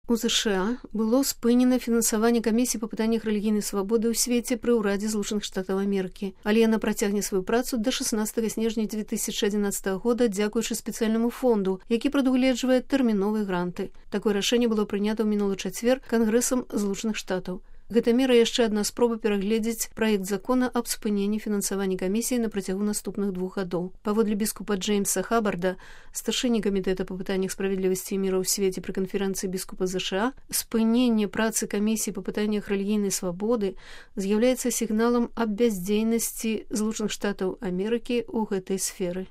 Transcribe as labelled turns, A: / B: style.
A: У ЗША было спынена фінансаванне камісіі па пытаннях рэлігійнай свабоды ў свеце пры ўрадзе Злучаных Штатаў Амерыкі. Але яна працягне сваю працу да 16 снежня 2011 года дзякуючы спецыяльнаму фонду, які прадугледжвае тэрміновыя гранты. Такое рашэнне было прынята ў мінулы чацвер Кангрэсам Злучаных Штатаў. Гэта мера яшчэ адна спроба перагледзець праект закона аб спыненні фінансавання камісіі на працягу наступных 2 гадоў. Паводле біскупа Джеймса Хабарда, старшыні камітэта па пытаннях справядлівасці і міра ў свеце пры канферэнцыі біскупа ЗША, спыненне працы камісіі па пытаннях рэлігійнай свабоды з'яўляецца сігналам аб бяздзейнасці Злучаных Штатаў Амерыкі ў гэтай сферы.